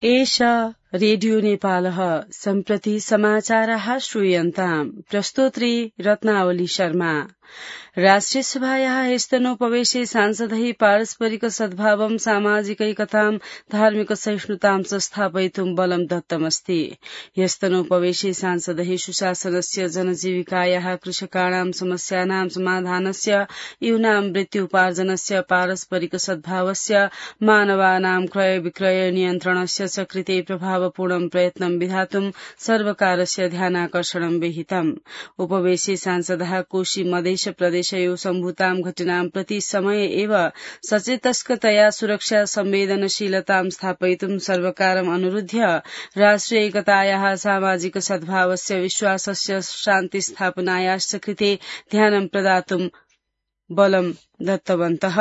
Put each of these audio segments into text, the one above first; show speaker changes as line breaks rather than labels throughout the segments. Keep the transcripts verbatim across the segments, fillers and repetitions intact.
एषा रेडियो नेपालः सम्प्रति समाचाराः श्रूयन्ताम्। प्रस्तोत्री रत्नावली शर्मा। राष्ट्रिय सभायाः ह्यस्तनोपवेशे सांसदैः पारस्परिक सद्भावं सामाजिकैकतां धार्मिक सहिष्णुतां च स्थापयितुं बलं दत्तमस्ति। ह्यस्तनोपवेशे सांसदैः सुशासनस्य जनजीविकायाः कृषकाणां समस्यानां समाधानस्य यूनां वृत्त्युपार्जनस्य पारस्परिक सद्भावस्य मानवानां क्रय विक्रय नियन्त्रणस्य च कृते प्रभावपूर्णं प्रयत्नं विधातुं सर्वकारस्य ध्यानाकर्षणं विहितम्। उपवेशे सांसदः कोशी मधेश प्रदेशयो सम्भूतां घटनां प्रति समये एव सचेतस्कतया सुरक्षा संवेदनशीलतां स्थापयितुं सर्वकारम् अनुरुध्य राष्ट्रिय एकतायाः सामाजिक सद्भावस्य विश्वासस्य शान्ति स्थापनायाश्च कृते ध्यानं प्रदातुं बलं दत्तवन्तः।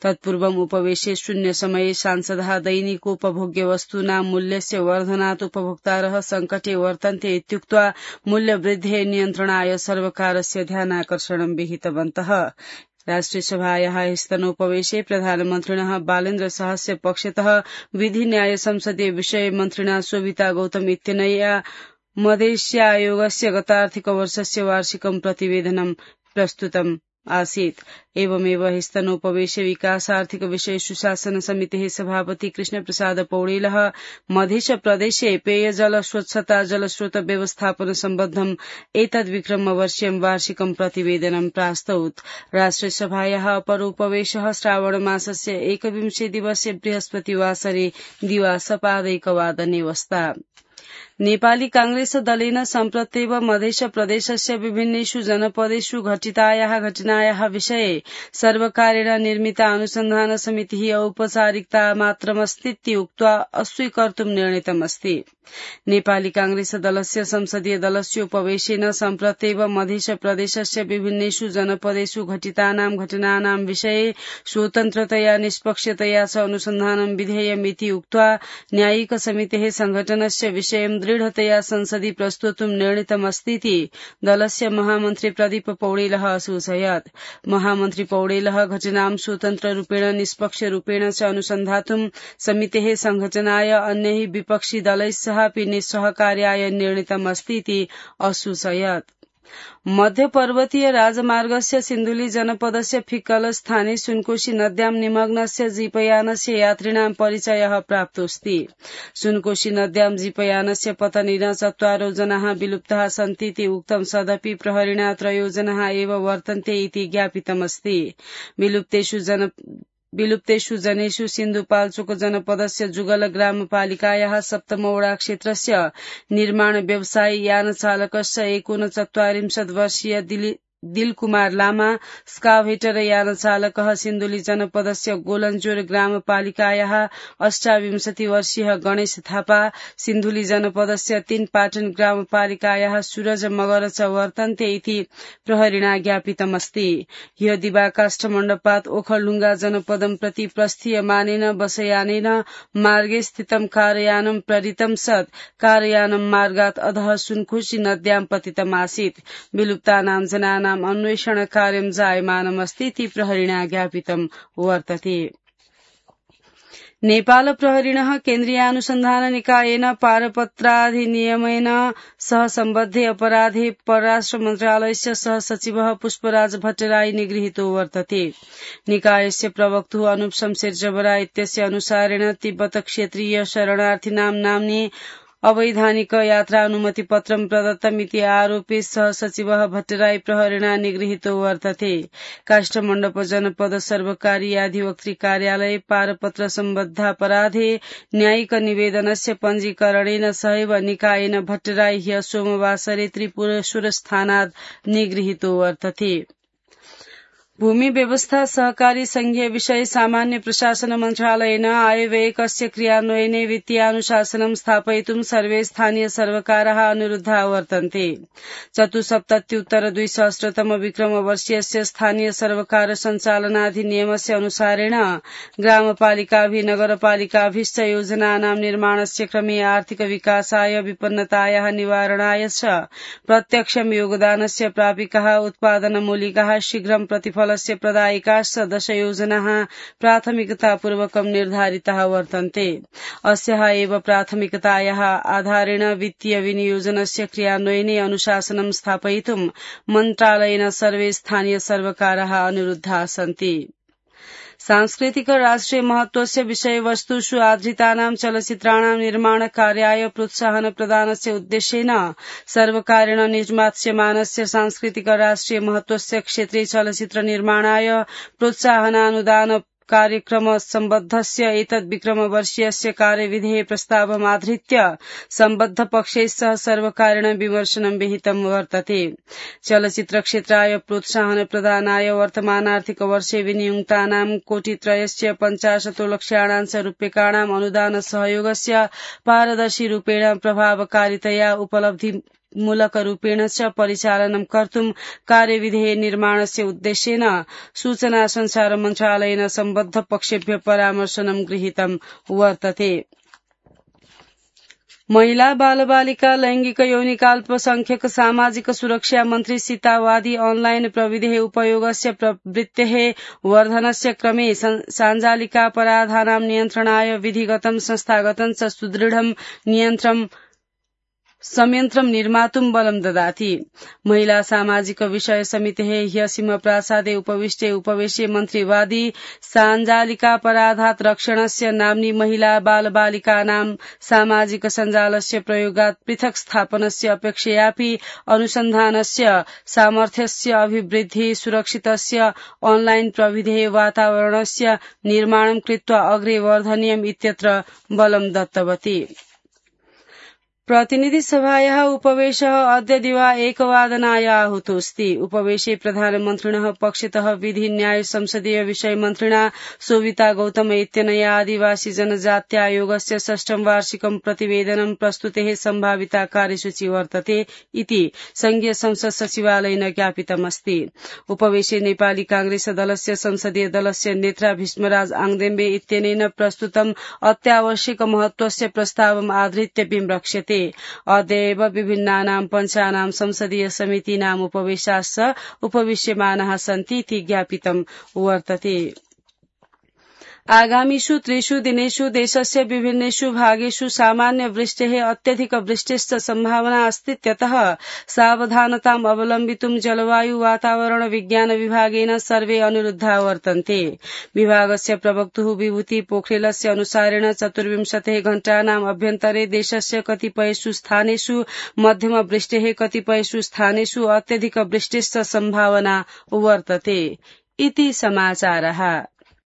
तत्पूर्वम् उपवेशे शून्य समये सांसदः दैनिकोपभोग्य वस्तूनां मूल्यस्य वर्धनात् उपभोक्तारः संकटे वर्तन्ते इत्युक्त्वा मूल्यवृद्धेः नियन्त्रणाय सर्वकारस्य ध्यानाकर्षणं विहितवन्तः। राष्ट्रिय सभायाः ह्यस्तनोपवेशे प्रधानमन्त्रिणः बालेन्द्र शाहस्य पक्षतः विधि न्याय संसदीय विषय मन्त्रिणा शोभिता गौतम इत्यनया मधेश्यायोगस्य गतार्थिक वर्षस्य वार्षिकं प्रतिवेदनं प्रस्तुतम् आसीत्। एवमेव ह्यस्तनोपवेशे विकासार्थिक विषय सुशासन समितेः सभापति कृष्ण प्रसाद पौडेलः मधेश प्रदेशे पेयजल स्वच्छता जलस्रोत व्यवस्थापन सम्बद्धम् एतद्विक्रमवर्षीयं वार्षिकं प्रतिवेदनं प्रास्तौत्। राष्ट्रिय सभायाः अपर उपवेशः श्रावण मासस्य एकविंशे दिवसे बृहस्पतिवासरे दिवा सपादैकवादने वस्ता। नेपाली कांग्रेस दलेन सम्प्रत्येव मधेश प्रदेशस्य विभिन्नेषु जनपदेषु घटितायाः घटनायाः विषये सर्वकारेण निर्मिता अनुसन्धान समितिः औपचारिकता मात्रमस्तीति उक्त्वा अस्वीकर्तुं निर्णीतमस्ति। नेपाली कांग्रेस दलस्य संसदीय दलस्य उपवेशेन सम्प्रत्येव मधेश प्रदेशस्य विभिन्नेषु जनपदेषु घटितानां घटनानां विषये स्वतन्त्रतया निष्पक्षतया च अनुसन्धानं विधेयमिति उक्त्वा न्यायिक समितेः संघटनस्य विषयं दृढतया संसदि प्रस्तोतुं निर्णीतमस्तीति दलस्य महामन्त्री प्रदीप पौडेलः असूचयत्। महामन्त्री पौडेलः घटनां स्वतन्त्ररूपेण निष्पक्षरूपेण च अनुसन्धातुं समितेः संघटनाय अन्यैः विपक्षी दलैः सहापि निस्सहकार्याय निर्णीतमस्तीति असूचयत्। मध्य पर्वतीय राजमार्गस्य सिन्धुली जनपदस्य फिक्कल स्थाने सुनकोशी नद्यां निमग्नस्य जीपयानस्य यात्रिणां परिचयः प्राप्तोऽस्ति। सुनकोशी नद्यां जीपयानस्य पतनेन चत्वारो जनाः विलुप्ताः सन्तीति उक्तं सदपि प्रहरिणा त्रयो जनाः एव वर्तन्ते इति ज्ञापितमस्ति। विलुप्तेषु जन विलुप्तेषु जनेषु सिन्धुपाल्चोक जनपदस्य जुगल ग्रामपालिकायाः सप्तमवडा क्षेत्रस्य निर्माण व्यवसायी यानचालकस्य एकोनचत्वारिंशत् वर्षीय दिलकुमार लामा, स्काभेटर यानचालकः सिन्धुली जनपदस्य गोलन्जोर ग्रामपालिकायाः अष्टाविंशति वर्षीय गणेश थापा, सिन्धुली जनपदस्य तीनपाटन ग्रामपालिकायाः सूरज मगर च वर्तन्ते इति प्रहरिणा ज्ञापितमस्ति। ह्य दिवा काष्ठमण्डपात् ओखलढुङ्गा जनपदं प्रति प्रस्थीयमानेन बसयानेन मार्गे स्थितं कारयानं प्रेरितं सत् कारयानं मार्गात् अधः सुनकोशी नद्यां पतितमासीत्। विलुप्तानां जनानां अन्वेषण कार्यं जायमानमस्तीति प्रहरिणा ज्ञापितं वर्तते। नेपाल प्रहरिणः केन्द्रीयानुसन्धान निकायेन पारपत्राधिनियमेन सह सम्बद्धे अपराधे परराष्ट्र मन्त्रालयस्य सह सचिवः पुष्पराज भट्टराई निगृहीतो वर्तते। निकायस्य प्रवक्तुः अनुप शमशेर जबरा इत्यस्य अनुसारेण तिब्बत क्षेत्रीय शरणार्थीनां नाम्नि अवैधानिक यात्रानुमति पत्रं प्रदत्तमिति आरोपे सह सचिवः भट्टराई प्रहरिणा निगृहीतो वर्तते। काष्ठमण्डप जनपद सर्वकारी अधिवक्तृ कार्यालये पारपत्र सम्बद्धापराधे न्यायिक निवेदनस्य पञ्जीकरणेन सहैव निकायेन भट्टराई ह्य सोमवासरे त्रिपुरेश्वरस्थानात् निगृहीतो वर्तते। भूमि व्यवस्था सहकारी संघीय विषय सामान्य प्रशासन मन्त्रालयेन आयव्ययकस्य क्रियान्वयने वित्तीयानुशासनं स्थापयितुं सर्वे स्थानीय सर्वकाराः अनुरुद्धा वर्तन्ते। चतुसप्तत्युत्तर द्विसहस्रतम विक्रमवर्षीयस्य स्थानीय सर्वकार सञ्चालनाधिनियमस्य अनुसारेण ग्रामपालिकाभिः नगरपालिकाभिश्च योजनानां निर्माणस्य क्रमे आर्थिक विकासाय विपन्नतायाः निवारणाय च प्रत्यक्षं योगदानस्य प्रापिकाः उत्पादनमूलिकाः शीघ्रं प्रतिफल क्षेत्रफलस्य प्रदायिकाश्च दश योजनाः प्राथमिकतापूर्वकं निर्धारिताः वर्तन्ते। अस्याः एव प्राथमिकतायाः आधारेण वित्तीय विनियोजनस्य क्रियान्वयने अनुशासनं स्थापयितुं मन्त्रालयेन सर्वे स्थानीय सर्वकाराः अनुरुद्धाः सन्ति। सांस्कृतिक राष्ट्रिय महत्वस्य विषयवस्तुषु आधारितानां चलचित्राणां निर्माणकार्याय प्रोत्साहन प्रदानस्य उद्देश्येन सर्वकारेण निर्मास्यमानस्य सांस्कृतिक राष्ट्रिय महत्वस्य क्षेत्रे चलचित्र निर्माणाय प्रोत्साहनानुदान कार्यक्रम सम्बद्धस्य एतद् विक्रमवर्षीयस्य कार्यविधेः प्रस्तावमाधृत्य सम्बद्ध पक्षैः सह सर्वकारेण विमर्शनं विहितं वर्तते। चलचित्रक्षेत्राय प्रोत्साहन प्रदानाय वर्तमानार्थिक वर्षे विनियुक्तानां कोटित्रयस्य पञ्चाशतो लक्षाणां रूप्यकाणां अनुदान सहयोगस्य पारदर्शी रूपेण प्रभावकारितया उपलब्धि मूलकरूपेण च परिचालनं कर्तुं कार्यविधेः निर्माणस्य उद्देश्येन सूचना संचार मन्त्रालयेन सम्बद्ध पक्षेभ्यः परामर्शनं गृहीतं वर्तते। महिला बालबालिका लैंगिक यौनिकाल्पसंख्यक सामाजिक सुरक्षा मन्त्री सीता वादी ऑनलाइन प्रविधेः उपयोगस्य प्रवृत्तेः वर्धनस्य क्रमे साञ्जालिकापराधानां नियन्त्रणाय विधिगतं संस्थागतं च सुदृढं नियन्त्रणं संयन्त्रं निर्मातुं बलं ददाति। महिला सामाजिक विषय समितेः ह्यसिम प्रासादे उपविष्टे उपवेशे मन्त्रीवादी साञ्जालिकापराधात् रक्षणस्य नाम्नि महिला बालबालिकानां सामाजिक सञ्जालस्य प्रयोगात् पृथक् स्थापनस्य अपेक्षयापि अनुसन्धानस्य सामर्थ्यस्य अभिवृद्धि सुरक्षितस्य ऑनलाइन प्रविधेः वातावरणस्य निर्माणं कृत्वा अग्रे वर्धनीयम् इत्यत्र बलं दत्तवती। प्रतिनिधि सभायाः उपवेशः अद्य दिवा एकवादनाय आहूतोऽस्ति। उपवेशे प्रधानमन्त्रिणः पक्षतः विधि न्याय संसदीय विषय मन्त्रिणा सोविता गौतम इत्यनया आदिवासी जनजात्यायोगस्य षष्ठं वार्षिकं प्रतिवेदनं प्रस्तुतेः सम्भाविता कार्यसूची वर्तते इति संघीय संसद सचिवालयेन ज्ञापितमस्ति। उपवेशे नेपाली कांग्रेस दलस्य संसदीय दलस्य नेता भीष्मराज आङदेम्बे इत्यनेन प्रस्तुतम् अत्यावश्यक महत्वस्य प्रस्तावम् आधृत्य विमृक्ष्यते। अद्य एव विभिन्नानां पञ्चानां संसदीय समितीनाम् उपवेशाश्च उपविश्यमानाः सन्ति इति ज्ञापितं वर्तते। आगामिषु त्रिषु दिनेषु देशस्य विभिन्नेषु भागेषु सामान्य वृष्टेः अत्यधिक वृष्टिश्च सम्भावना अस्तीत्यतः सावधानताम् अवलम्बितुं जलवायु वातावरण विज्ञान विभागेन सर्वे अनुरुद्धा वर्तन्ते। विभागस्य प्रवक्तुः विभूति पोखरेलस्य अनुसारेण चतुर्विंशतिः घण्टानाम् अभ्यन्तरे देशस्य कतिपयेषु स्थानेषु मध्यम वृष्टेः कतिपयेषु स्थानेषु अत्यधिक वृष्टिश्च सम्भावना वर्तते इति समाचारः।